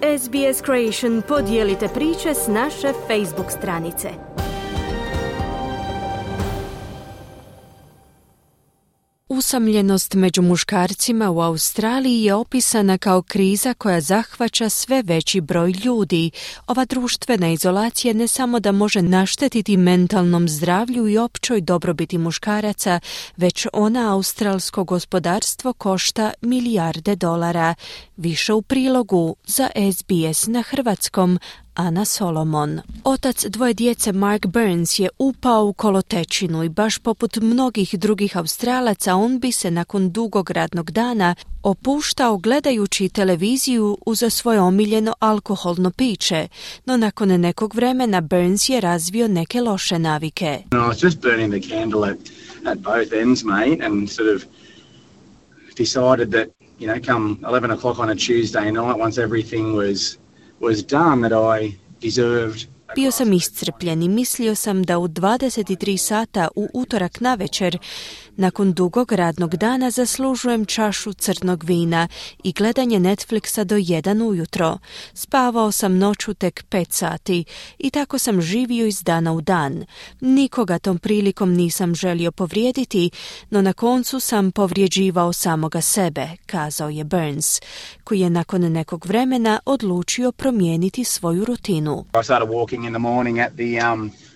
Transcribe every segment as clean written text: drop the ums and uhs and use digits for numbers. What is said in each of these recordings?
SBS Creation podijelite priče s naše Facebook stranice. Usamljenost među muškarcima u Australiji je opisana kao kriza koja zahvaća sve veći broj ljudi. Ova društvena izolacija ne samo da može naštetiti mentalnom zdravlju i općoj dobrobiti muškaraca, već ona australsko gospodarstvo košta milijarde dolara. Više u prilogu za SBS na hrvatskom. Ana Solomon. Otac dvoje djece Mark Burns je upao u kolotečinu i baš poput mnogih drugih Australaca on bi se nakon dugog radnog dana opuštao gledajući televiziju uz svoje omiljeno alkoholno piće, no nakon nekog vremena Burns je razvio neke loše navike. I was just burning the candle at both ends, mate, and sort of decided that, come 11 o'clock on a Tuesday night, once everything was done, that I deserved. Bio sam iscrpljen i mislio sam da u 23 sata u utorak navečer, nakon dugog radnog dana, zaslužujem čašu crnog vina i gledanje Netflixa do 1 ujutro. Spavao sam noću tek 5 sati i tako sam živio iz dana u dan. Nikoga tom prilikom nisam želio povrijediti, no na koncu sam povrijeđivao samoga sebe, kazao je Burns, koji je nakon nekog vremena odlučio promijeniti svoju rutinu. I started walking in the morning at the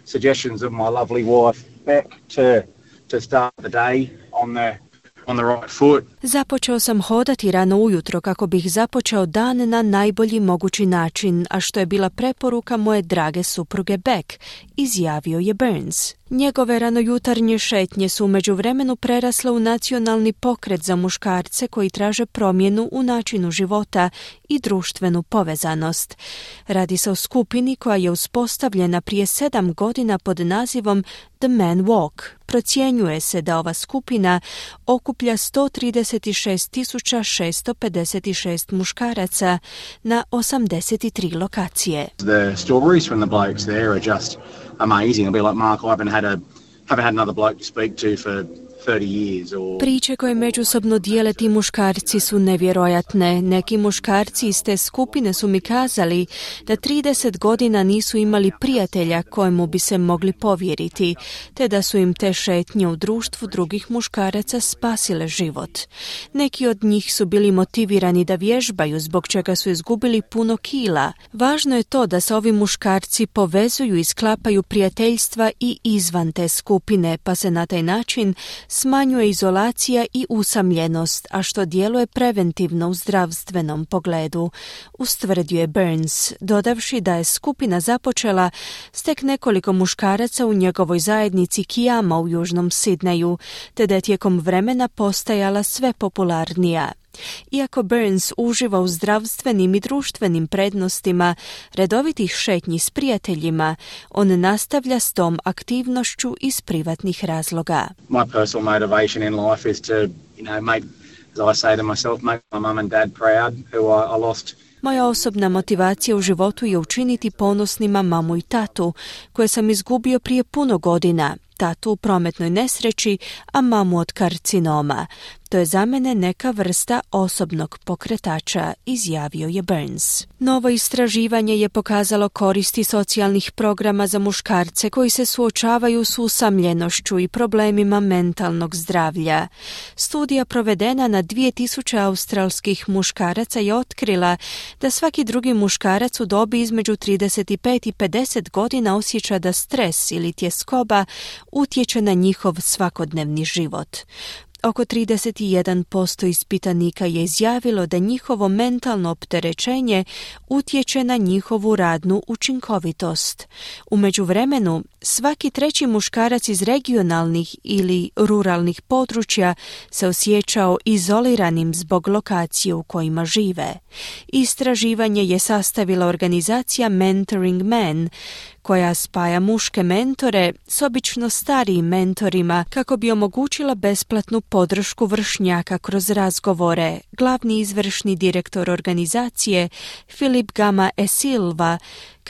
suggestions of my lovely wife Beck to start the day on the right foot. Započeo sam hodati rano ujutro kako bih započeo dan na najbolji mogući način, a što je bila preporuka moje drage supruge Beck, izjavio je Burns. Njegove ranojutarnje šetnje su u međuvremenu prerasle u nacionalni pokret za muškarce koji traže promjenu u načinu života i društvenu povezanost. Radi se o skupini koja je uspostavljena prije 7 godina pod nazivom The Man Walk. Procjenjuje se da ova skupina okuplja 136.656 muškaraca na 83 lokacije. The stories from the blokes there are just amazing. It'll be like, Mark, I haven't had another bloke to speak to for 30 years. Priče koje međusobno dijele ti muškarci su nevjerojatne. Neki muškarci iz te skupine su mi kazali da 30 godina nisu imali prijatelja kojemu bi se mogli povjeriti, te da su im te šetnje u društvu drugih muškaraca spasile život. Neki od njih su bili motivirani da vježbaju, zbog čega su izgubili puno kila. Važno je to da se ovi muškarci povezuju i sklapaju prijateljstva i izvan te skupine, pa se na taj način smanjuje izolacija i usamljenost, a što djeluje preventivno u zdravstvenom pogledu, ustvrdio je Burns, dodavši da je skupina započela s tek nekoliko muškaraca u njegovoj zajednici Kiama u južnom Sidneju, te da je tijekom vremena postajala sve popularnija. Iako Burns uživa u zdravstvenim i društvenim prednostima redovitih šetnji s prijateljima, on nastavlja s tom aktivnošću iz privatnih razloga. My personal motivation in life is to, make, as I say to myself, make my mum and dad proud, who I lost. Moja osobna motivacija u životu je učiniti ponosnima mamu i tatu, koje sam izgubio prije puno godina. Tatu u prometnoj nesreći, a mamu od karcinoma. To je za mene neka vrsta osobnog pokretača, izjavio je Burns. Novo istraživanje je pokazalo koristi socijalnih programa za muškarce koji se suočavaju s usamljenošću i problemima mentalnog zdravlja. Studija provedena na 2000 australskih muškaraca je otkrila da svaki drugi muškarac u dobi između 35 i 50 godina osjeća da stres ili tjeskoba utječe na njihov svakodnevni život. Oko 31% ispitanika je izjavilo da njihovo mentalno opterećenje utječe na njihovu radnu učinkovitost. U međuvremenu, svaki treći muškarac iz regionalnih ili ruralnih područja se osjećao izoliranim zbog lokacije u kojima žive. Istraživanje je sastavila organizacija Mentoring Men, koja spaja muške mentore s obično starijim mentorima kako bi omogućila besplatnu podršku vršnjaka kroz razgovore. Glavni izvršni direktor organizacije, Filip Gama e Silva,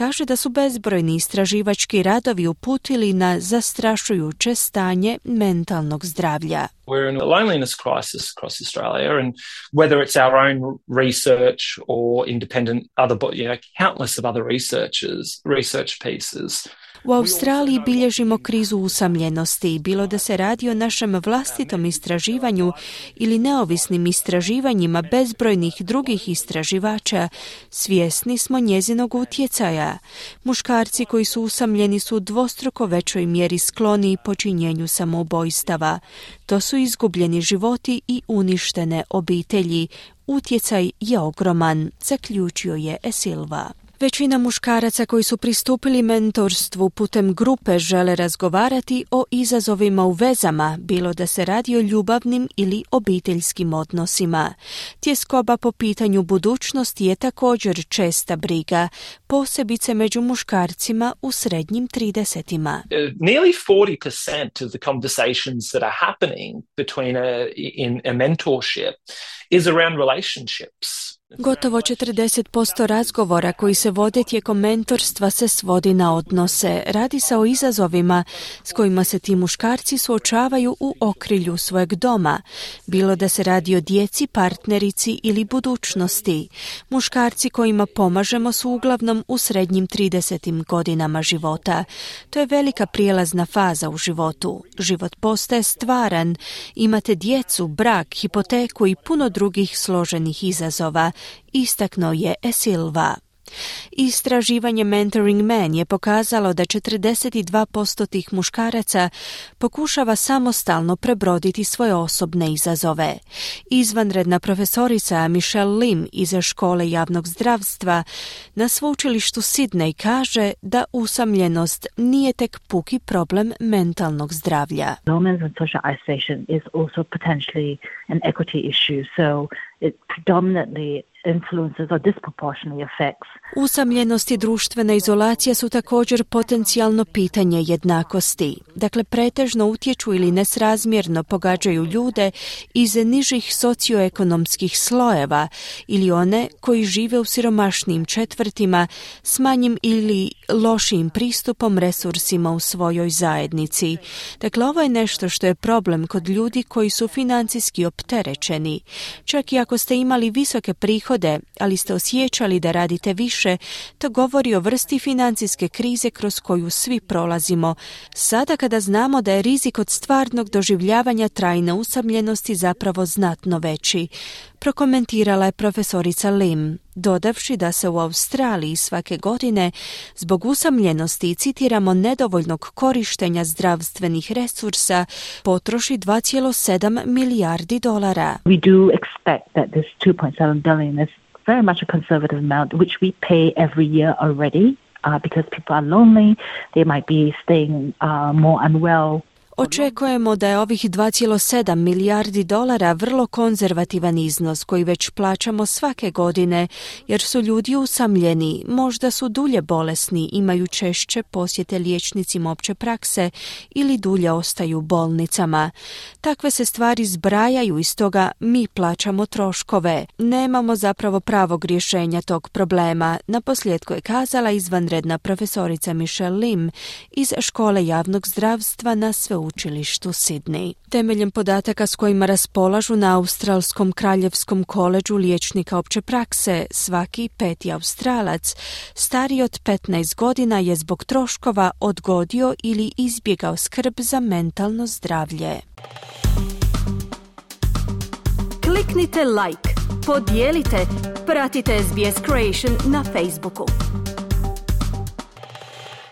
kaže da su bezbrojni istraživački radovi uputili na zastrašujuće stanje mentalnog zdravlja. We're in a loneliness crisis across Australia, and whether it's our own research or independent countless of other research pieces. U Australiji bilježimo krizu usamljenosti, bilo da se radi o našem vlastitom istraživanju ili neovisnim istraživanjima bezbrojnih drugih istraživača, svjesni smo njezinog utjecaja. Muškarci koji su usamljeni su u dvostruko većoj mjeri skloni počinjenju samoubojstava. To su izgubljeni životi i uništene obitelji. Utjecaj je ogroman, zaključio je Silva. Većina muškaraca koji su pristupili mentorstvu putem grupe žele razgovarati o izazovima u vezama, bilo da se radi o ljubavnim ili obiteljskim odnosima. Tjeskoba po pitanju budućnosti je također česta briga, posebice među muškarcima u srednjim 30-ima. Nearly 40% of the conversations that are happening between in a mentorship is around relationships. Gotovo 40% razgovora koji se vode tijekom mentorstva se svodi na odnose. Radi se o izazovima s kojima se ti muškarci suočavaju u okrilju svojeg doma, bilo da se radi o djeci, partnerici ili budućnosti. Muškarci kojima pomažemo su uglavnom u srednjim 30. godinama života. To je velika prijelazna faza u životu. Život postaje stvaran, imate djecu, brak, hipoteku i puno drugih složenih izazova, istaknuo je Silva. Istraživanje Mentoring Man je pokazalo da 42% tih muškaraca pokušava samostalno prebroditi svoje osobne izazove. Izvanredna profesorica Michelle Lim iz škole javnog zdravstva na sveučilištu Sydney kaže da usamljenost nije tek puki problem mentalnog zdravlja. Loneliness and social isolation is also potentially an equity issue, so it predominantly influences or disproportionately affects. Usamljenost i društvena izolacija su također potencijalno pitanje jednakosti. Dakle, pretežno utječu ili nesrazmjerno pogađaju ljude iz nižih socioekonomskih slojeva ili one koji žive u siromašnijim četvrtima s manjim ili lošijim pristupom resursima u svojoj zajednici. Dakle, ovo je nešto što je problem kod ljudi koji su financijski opterećeni. Čak i ako ste imali visoke prihode, ali ste osjećali da radite više, to govori o vrsti financijske krize kroz koju svi prolazimo. Sada kada znamo da je rizik od stvarnog doživljavanja trajne usamljenosti zapravo znatno veći, prokomentirala je profesorica Lim, dodavši da se u Australiji svake godine zbog usamljenosti, citiramo, nedovoljnog korištenja zdravstvenih resursa potroši $2.7 milijardi. We do expect that this 2.7 billion is very much a conservative amount which we pay every year already because people are lonely, they might be staying more unwell. Očekujemo da je ovih $2.7 milijardi vrlo konzervativan iznos koji već plaćamo svake godine jer su ljudi usamljeni, možda su dulje bolesni, imaju češće posjete liječnicima opće prakse ili dulje ostaju u bolnicama. Takve se stvari zbrajaju i stoga mi plaćamo troškove. Nemamo zapravo pravog rješenja tog problema, naposljetku je kazala izvanredna profesorica Michelle Lim iz škole javnog zdravstva na sveučilištu Sydney. Temeljem podataka s kojima raspolažu na Australskom kraljevskom koledžu liječnika opće prakse, svaki 5. Australac stariji od 15 godina je zbog troškova odgodio ili izbjegao skrb za mentalno zdravlje. Kliknite like, podijelite, pratite SBS Creation na Facebooku.